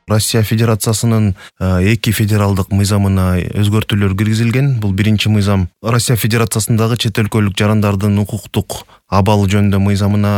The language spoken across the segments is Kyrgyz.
Россия Федерациясынын 2 федералдык мыйзамына өзгөртүүлөр киргизилген. Бул биринчи мыйзам Россия Федерациясындагы чет өлкөлүк жарандардын укуктук абалы жөнүндө мыйзамына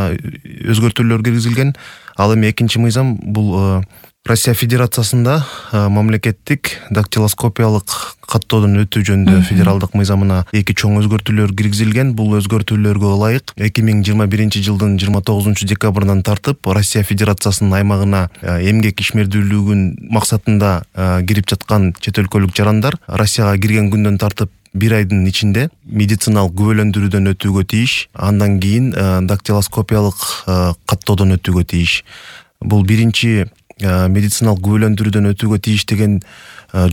өзгөртүүлөр киргизилген. Ал эми экинчи мыйзам бул Россия Федерациясында мамлекеттик дактилоскопиялык каттоодон өтүү жөнүндө федералдык мыйзамына 2 чоң өзгөртүүлөр киргизилген. Бул өзгөртүүлөргө ылайык 2021 жылдын 29 декабрынан тартып Россия Федерациясынын аймагына эмгек ишмердүүлүгүн максатында кирип жаткан чет өлкөлүк жарандар Россияга кирген күндөн тартып 1 айдын ичинде медициналык күбөлөндүрүүдөн өтүүгө тийиш, андан кийин дактилоскопиялык каттоодон өтүүгө тийиш. Бул биринчи медициналык күбөлөндүрүүдөн өтүүгө тийиш деген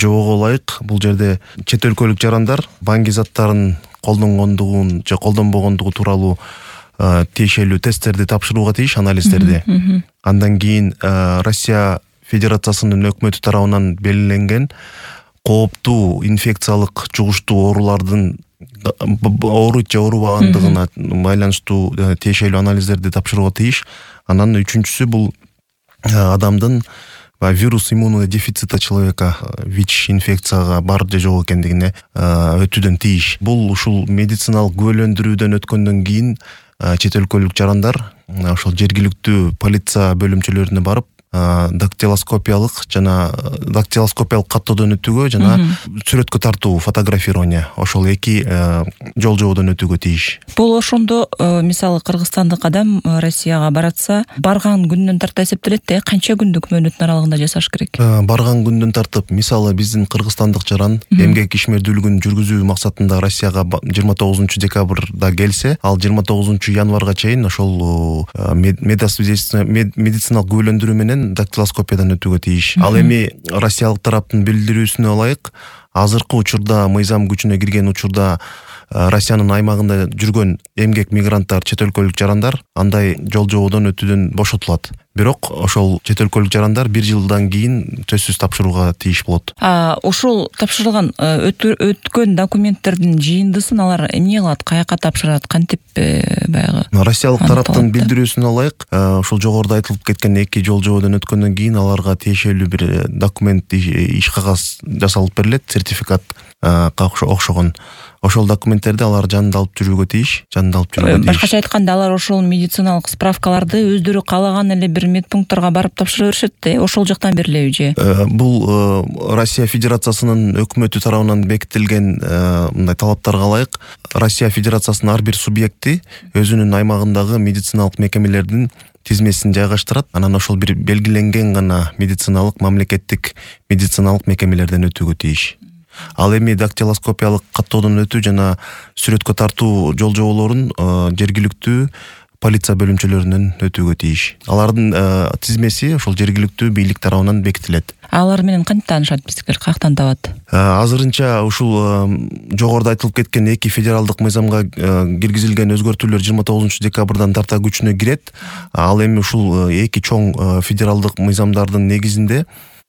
жоого ылайык. Бул жерде чет өлкөлүк жарандар банги заттарын колдонгондугун же колдонбогондугу тууралуу тиешелүү тесттерди тапшырууга тийиш, анализдерди. Андан кийин Россия Федерациясынын өкмөтү тарабынан белгиленген кооптуу инфекциялык жугуштуу оорулардын ооруйт же оорубагандыгына байланыштуу тиешелүү анализдерди тапшырууга тийиш. Анан үчүнчүсү бул адамдын вирус иммунного дефицита человека ВИЧ инфекцияга бар же жок экендигине өтүүдөн тийиш. Бул ушул медициналык күбөлөндүрүүдөн өткөндөн кийин чет өлкөлүк жарандар ошол жергиликтүү полиция бөлүмчөлөрүнө барып дактилоскопиялык каттоодон өтүүгө жана сүрөткө тартуу, фотографирование ошол 2 жол жоодон өтүүгө тийиш. Бул ошондо мисалы кыргызстандык адам Россияга баратса, барган күндөн тарта эсептелет да, канча күндүк мөөнөттүн аралыгында жасаш керек? Барган күндөн тартып, мисалы биздин кыргызстандык жаран эмгек ишмердүүлүгүн жүргүзүү максатында Россияга 29 декабрда келсе, ал 29 январга чейин ошол медициналык күбөлөндүрүү менен дактилоскопиядан өтүүгө тийиш. Ал эми россиялык тараптын билдирүүсүнө ылайык, азыркы учурда мыйзам күчүнө кирген учурда Россиянын аймагында жүргөн эмгек мигранттар, чет өлкөлүк жарандар андай жол жоодон өтүүдөн бошотулат. Бирок ошол чет өлкөлүк жарандар 1 жылдан кийин төссүз тапшырууга тийиш болот. Ошол тапшырылган өткөн документтердин жыйындысын алар эмне кылат, каяка тапшырат, кантип баягы? Россиялык тараптын билдирүүсүнө ылайык, ушул жогоруда айтылып кеткен 2 жол жоодон өткөндөн кийин аларга тиешелүү бир документ, иш кагаз жасалып берилет, сертификатка окшогон. Ошол документтерди алар жанында алып жүрүүгө тийиш, Башкача айтканда, алар ошол медициналык справкаларды өздөрү каалаган эле бир медпункттарга барып тапшыра беришет да, ошол жактан берилеби же? Бул Россия Федерациясынын өкмөтү тарабынан бекитилген мындай талаптарга ылайык, Россия Федерациясынын ар бир субъекти өзүнүн аймагындагы медициналык мекемелердин тизмесин жайгаштырат. Анан ошол бир белгиленген гана мамлекеттик медициналык мекемелерден өтүүгө тийиш. Ал эми дактилоскопиялык каттоодон өтүү жана сүрөткө тартуу жол жоолорун жергиликтүү полиция бөлүмчөлөрүнөн өтүүгө тийиш. Алардын тизмеси ошол жергиликтүү бийлик тарабынан бекитилет. Алар менен кантип таанышат биздикер, каяктан табат? Азырынча ушул жогоруда айтылып кеткен 2 федералдык мыйзамга киргизилген өзгөртүүлөр 29 декабрдан тарта күчүнө кирет. Ал эми ушул 2 чоң федералдык мыйзамдардын негизинде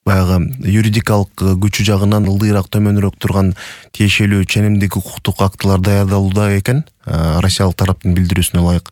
баягы юридикалык күчү жагынан ылдыйраак, төмөнүрөөк турган тиешелүү ченемдик укуктук актылар даярдалууда экен, Россиялык тараптын билдирүүсүнө ылайык.